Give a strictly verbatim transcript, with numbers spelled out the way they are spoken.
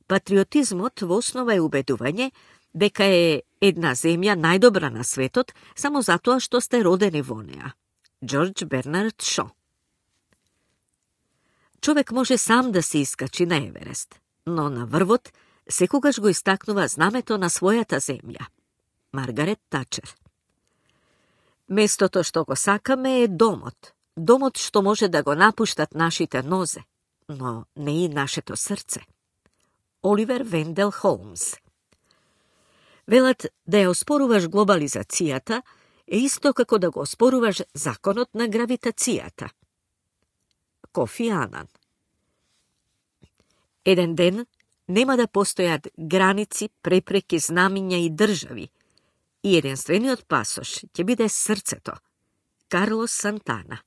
Патриотизмот во основа е убедување дека е една земја најдобра на светот само затоа што сте родени во неа. Џорџ Бернард Шо. Човек може сам да се искачи на Еверест, но на врвот секогаш го истакнува знамето на својата земја. Маргарет Тачер. Местото што го сакаме е домот, домот што може да го напуштат нашите нозе, но не и нашето срце. Оливер Вендел Холмс. Велат да ја оспоруваш глобализацијата е исто како да го оспоруваш законот на гравитацијата. Кофи Анан. Еден ден нема да постојат граници, препреки, знамиња и држави, и единствениот пасош ќе биде срцето. Карлос Сантана.